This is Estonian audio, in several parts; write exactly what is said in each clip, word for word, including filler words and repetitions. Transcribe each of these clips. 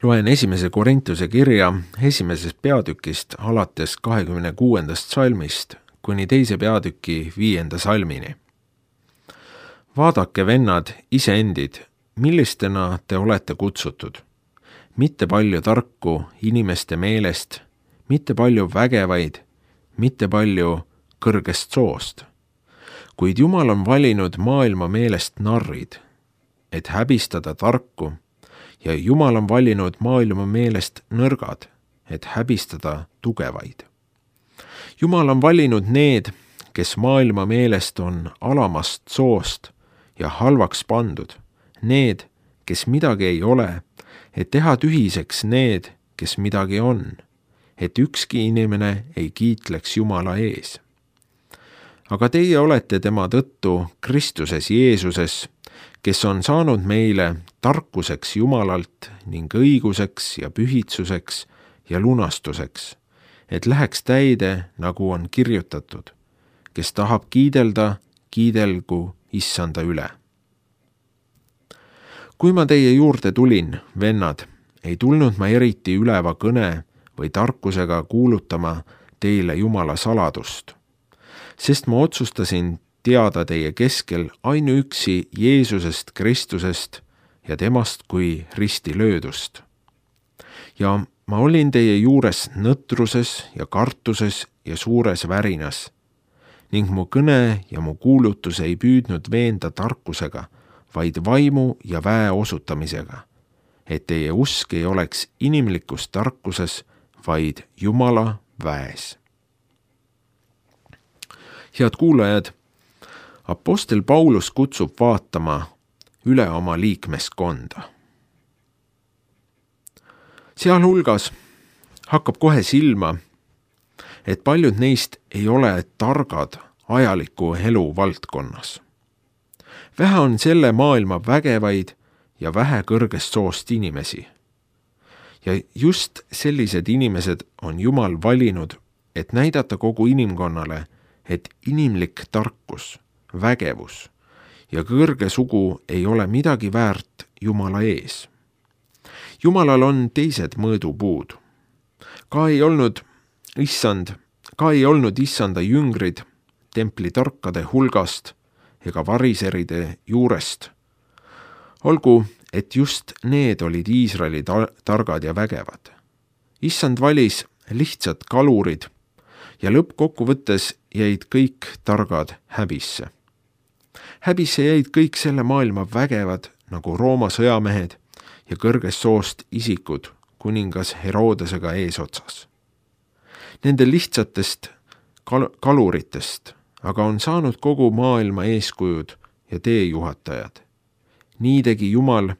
Loen esimese Korintuse kirja esimesest peatükist alates kahekümne kuuendast salmist kuni teise peatüki viienda salmini. Vaadake, vennad, iseendid, millistena te olete kutsutud. Mitte palju tarku inimeste meelest, mitte palju vägevaid, mitte palju kõrgest soost. Kuid Jumal on valinud maailma meelest narrid, et häbistada tarku, ja Jumal on valinud maailma meelest nõrgad, et häbistada tugevaid. Jumal on valinud need, kes maailma meelest on alamast soost ja halvaks pandud, need, kes midagi ei ole, et teha tühiseks need, kes midagi on, et ükski inimene ei kiitleks Jumala ees. Aga teie olete tema tõttu Kristuses Jeesuses, kes on saanud meile tarkuseks Jumalalt ning õiguseks ja pühitsuseks ja lunastuseks, et läheks täide, nagu on kirjutatud, kes tahab kiidelda, kiidelgu Issanda üle. Kui ma teie juurde tulin, vennad, ei tulnud ma eriti üleva kõne või tarkusega kuulutama teile Jumala saladust, sest ma otsustasin teada teie keskel ainuüksi Jeesusest Kristusest ja temast kui risti löödust. Ja ma olin teie juures nõtruses ja kartuses ja suures värinas, ning mu kõne ja mu kuulutus ei püüdnud veenda tarkusega, vaid vaimu ja väe osutamisega, et teie usk ei oleks inimlikus tarkuses, vaid Jumala väes. Head kuulajad, Apostel Paulus kutsub vaatama üle oma liikmeskonda. Sealhulgas hakkab kohe silma, et paljud neist ei ole targad ajaliku elu valdkonnas. Vähe on selle maailma vägevaid ja vähe kõrgest soost inimesi. Ja just sellised inimesed on Jumal valinud, et näidata kogu inimkonnale, et inimlik tarkus, vägevus ja kõrge sugu ei ole midagi väärt Jumala ees. Jumalal on teised mõõdupuud. Ka ei olnud issand, ka ei olnud issanda jüngrid templi tarkade hulgast ega variseride juurest. Olgu, et just need olid Iisraeli targad ja vägevad. Issand valis lihtsad kalurid ja lõppkokkuvõttes jäid kõik targad häbisse. Häbisse jäid kõik selle maailma vägevad nagu Rooma sõjamehed ja kõrgest soost isikud kuningas Herodesega eesotsas. Nende lihtsatest kal- kaluritest aga on saanud kogu maailma eeskujud ja teejuhatajad. Nii tegi Jumal,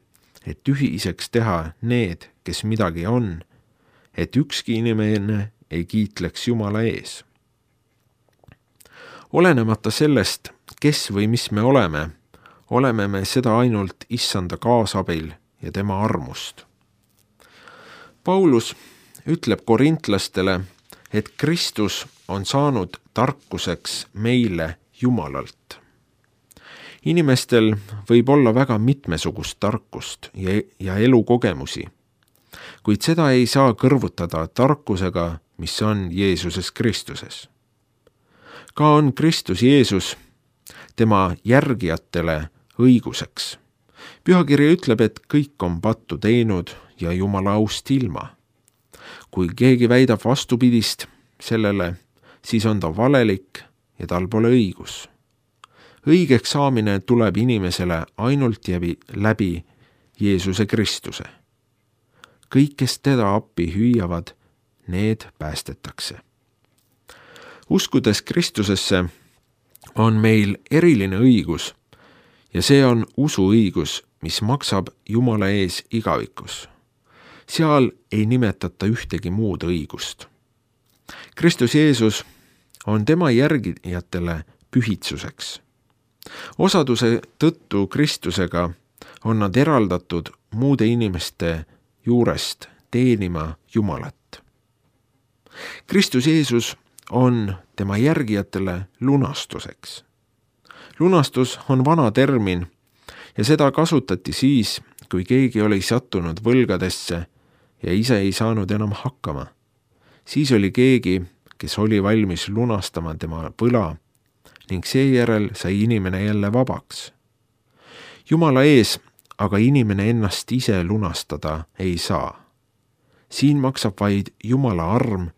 et tühiseks teha need, kes midagi on, et ükski inimene ei kiitleks Jumala ees. Olenemata sellest, kes või mis me oleme, oleme me seda ainult issanda kaasabil ja tema armust. Paulus ütleb korintlastele, et Kristus on saanud tarkuseks meile Jumalalt. Inimestel võib olla väga mitmesugust tarkust ja, ja elukogemusi, kuid seda ei saa kõrvutada tarkusega, mis on Jeesuses Kristuses. Ka on Kristus Jeesus tema järgijatele õiguseks. Pühakiri ütleb, et kõik on pattu teinud ja Jumala aust ilma. Kui keegi väidab vastupidist sellele, siis on ta valelik ja tal pole õigus. Õigeks saamine tuleb inimesele ainult läbi Jeesuse Kristuse. Kõik, kes teda appi hüüavad, need päästetakse. Uskudes Kristusesse on meil eriline õigus ja see on usuõigus, mis maksab Jumala ees igavikus. Seal ei nimetata ühtegi muud õigust. Kristus Jeesus on tema järgijatele pühitsuseks. Osaduse tõttu Kristusega on nad eraldatud muude inimeste juurest teenima Jumalat. Kristus Jeesus on tema järgijatele lunastuseks. Lunastus on vana termin ja seda kasutati siis, kui keegi oli sattunud võlgadesse ja ise ei saanud enam hakkama. Siis oli keegi, kes oli valmis lunastama tema võla ning seejärel sai inimene jälle vabaks. Jumala ees aga inimene ennast ise lunastada ei saa. Siin maksab vaid Jumala arm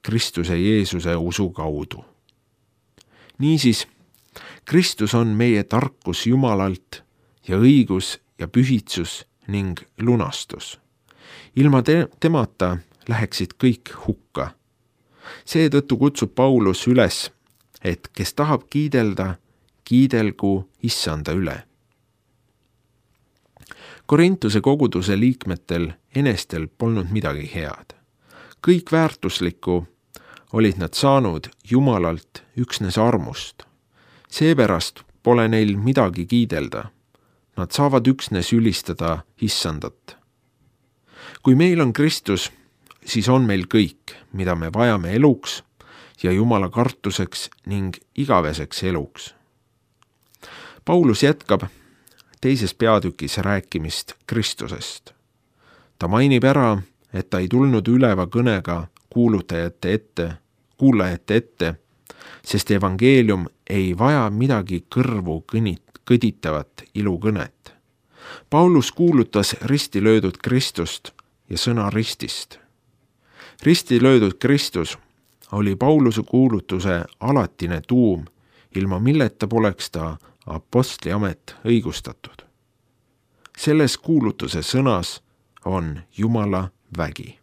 Kristuse Jeesuse usu kaudu. Niisiis, Kristus on meie tarkus Jumalalt ja õigus ja pühitsus ning lunastus. Ilma te- temata läheksid kõik hukka. Seetõttu kutsub Paulus üles, et kes tahab kiidelda, kiidelgu Issanda üle. Korintuse koguduse liikmetel enestel polnud midagi head. Kõik väärtuslikku olid nad saanud Jumalalt üksnes armust. Seepärast pole neil midagi kiidelda. Nad saavad üksnes ülistada Issandat. Kui meil on Kristus, siis on meil kõik, mida me vajame eluks ja Jumala kartuseks ning igaveseks eluks. Paulus jätkab teises peatükis rääkimist Kristusest. Ta mainib ära, et ta ei tulnud üleva kõnega kuulutajate ette, kuulajate ette, sest evangeelium ei vaja midagi kõrvu kõnit, kõditavat ilukõnet. Paulus kuulutas risti löödud Kristust ja sõna ristist. Risti löödud Kristus oli Pauluse kuulutuse alatine tuum, ilma milleta poleks ta apostli amet õigustatud. Selles kuulutuse sõnas on Jumala vägi.